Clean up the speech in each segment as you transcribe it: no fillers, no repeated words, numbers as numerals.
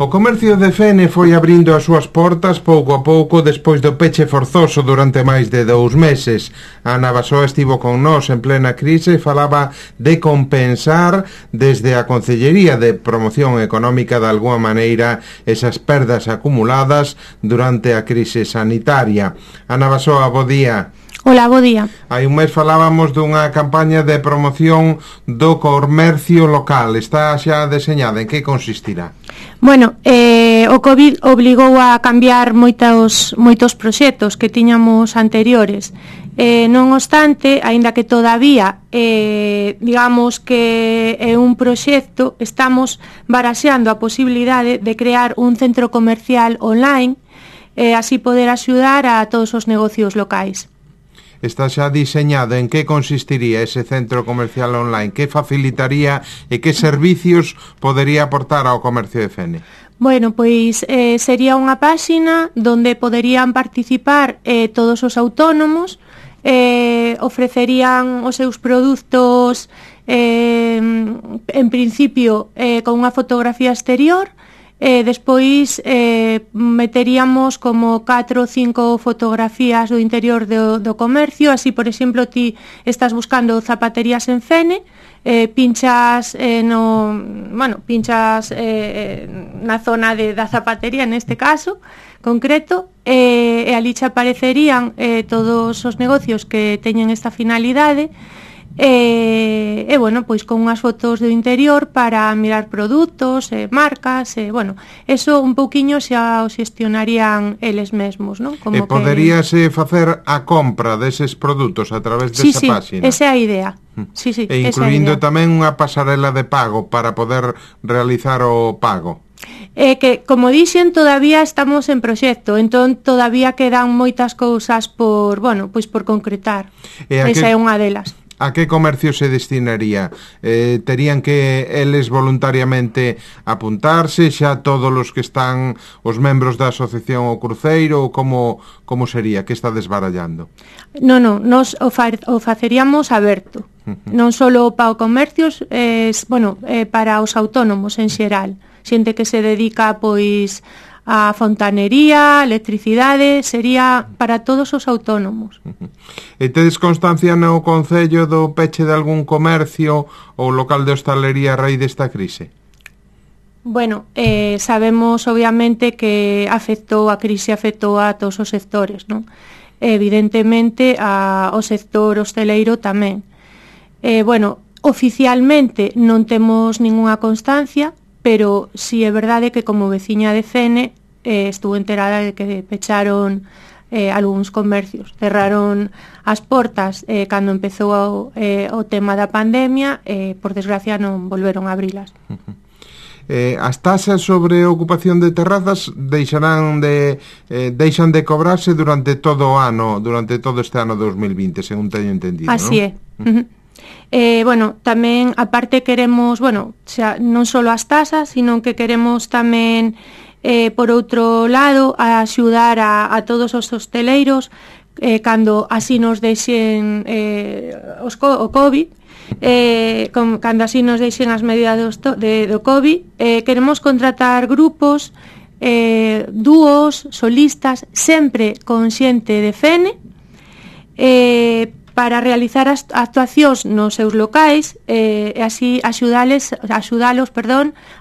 O comercio de Fene foi abrindo as súas portas pouco a pouco despois do peche forzoso durante máis de 2 meses. Ana Basó estivo con nós en plena crise e falaba de compensar desde a Concellería de Promoción Económica de alguma maneira esas perdas acumuladas durante a crise sanitaria. Ana Basó, bo día. Hola, bo día. Hai un mes falábamos dunha campaña de promoción do comercio local. Está xa deseñada, en que consistirá? Bueno, o COVID obligou a cambiar moitos proxectos que tiñamos anteriores. Non obstante, aínda que todavía digamos que é un proxecto, estamos baraxeando a posibilidade de crear un centro comercial online e así poder axudar a todos os negocios locais. Está xa diseñado. En que consistiría ese centro comercial online? Que facilitaría e que servicios podería aportar ao comercio de Fene? Bueno, pois sería unha páxina donde poderían participar todos os autónomos, ofrecerían os seus produtos en principio con unha fotografía exterior. Despois meteríamos como 4 ou 5 fotografías do interior do comercio. Así, por exemplo, ti estás buscando zapaterías en Fene, pinchas na zona da zapatería, neste caso concreto, e ali che aparecerían todos os negocios que teñen esta finalidade. E bueno, pois con unhas fotos do interior para mirar produtos, marcas, bueno, eso un pouquiño xa o xestionarían eles mesmos, non? Como poderíase facer a compra deses produtos a través desa páxina? Sí, esa é a idea. Sí, e incluindo tamén unha pasarela de pago para poder realizar o pago. Que, como dixen, todavía estamos en proxecto, entón todavía quedan moitas cousas por concretar. Esa é unha delas. A que comercio se destinaría? Terían que eles voluntariamente apuntarse xa todos os que están os membros da asociación O Cruceiro, ou como sería? Que está desbarallando? Non, nos o faceríamos aberto. Non só para o comercios, para os autónomos en xeral. Xente que se dedica, pois, a fontanería, electricidade, sería para todos os autónomos. E tedes constancia no Concello do peche de algún comercio ou local de hostalería a raíz desta crise? Bueno, sabemos obviamente que a crise afectou a todos os sectores, non? Evidentemente ao sector hosteleiro tamén. Oficialmente non temos ningunha constancia, pero si é verdade que como veciña de Fene estuvo enterada de que pecharon algúns comercios, cerraron as portas cando empezou o tema da pandemia e por desgracia non volveron a abrilas. As tasas sobre ocupación de terrazas deixan de cobrarse durante todo o ano, durante todo este ano 2020, según teño entendido, así non? É. Tamén, aparte queremos, non só as tasas, sino que queremos tamén, por outro lado, axudar a todos os hosteleiros cando así nos deixen o COVID, cando así nos deixen as medidas do COVID. Queremos contratar grupos, dúos, solistas, sempre con xente de Fene, para realizar as actuacións nos seus locais e así axudalos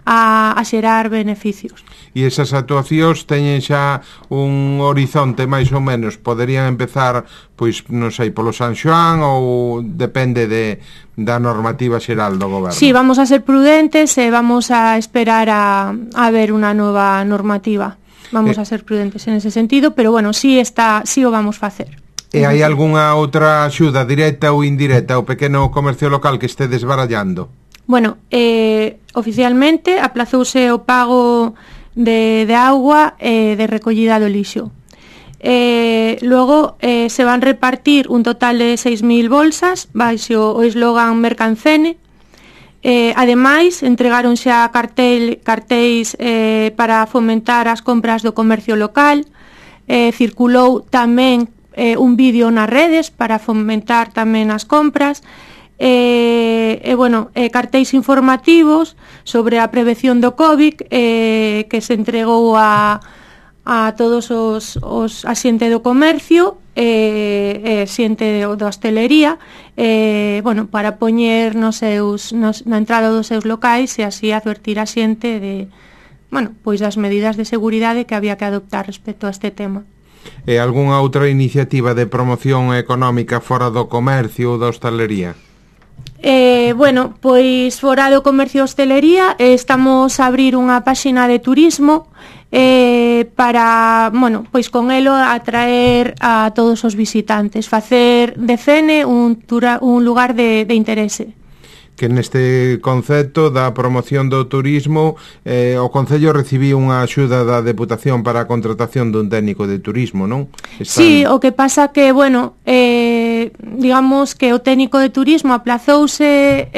a xerar beneficios. E esas actuacións teñen xa un horizonte máis ou menos? Poderían empezar, pois, non sei, polo San Xoán ou depende da normativa xeral do goberno? Sí, vamos a ser prudentes e vamos a esperar a ver unha nova normativa. Vamos a ser prudentes en ese sentido, pero bueno, sí o vamos facer. E hai algunha outra axuda directa ou indirecta ao pequeno comercio local que este desbarallando? Bueno, oficialmente aplazouse o pago de auga e de recollida do lixo. Logo se van repartir un total de 6.000 bolsas baixo o eslogan Mercancene. Ademais, entregaron xa cartéis para fomentar as compras do comercio local. Circulou tamén un vídeo nas redes para fomentar tamén as compras. cartéis informativos sobre a prevención do COVID que se entregou a todos os xente do comercio xente da hostelería para poñer na entrada dos seus locais e así advertir a xente das medidas de seguridade que había que adoptar respecto a este tema. E algunha outra iniciativa de promoción económica fora do comercio ou da hostelería? Fora do comercio e hostelería estamos a abrir unha páxina de turismo para, con elo atraer a todos os visitantes, facer de Fene un lugar de interese. Que neste concepto da promoción do turismo o Concello recibiu unha axuda da Deputación para a contratación dun técnico de turismo, non? Sí, o que pasa que, digamos que o técnico de turismo aplazouse,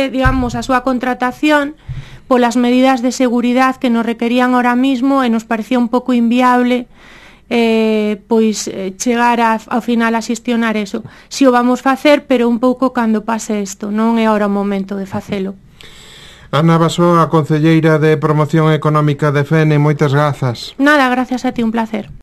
digamos, a súa contratación polas medidas de seguridade que nos requerían ahora mismo e nos parecía un pouco inviable chegar ao final a xestionar eso. Si o vamos facer, pero un pouco cando pase isto, non é ahora o momento de facelo. Ana Basoa, concelleira de Promoción Económica de Fene, moitas grazas. Nada, gracias a ti, un placer.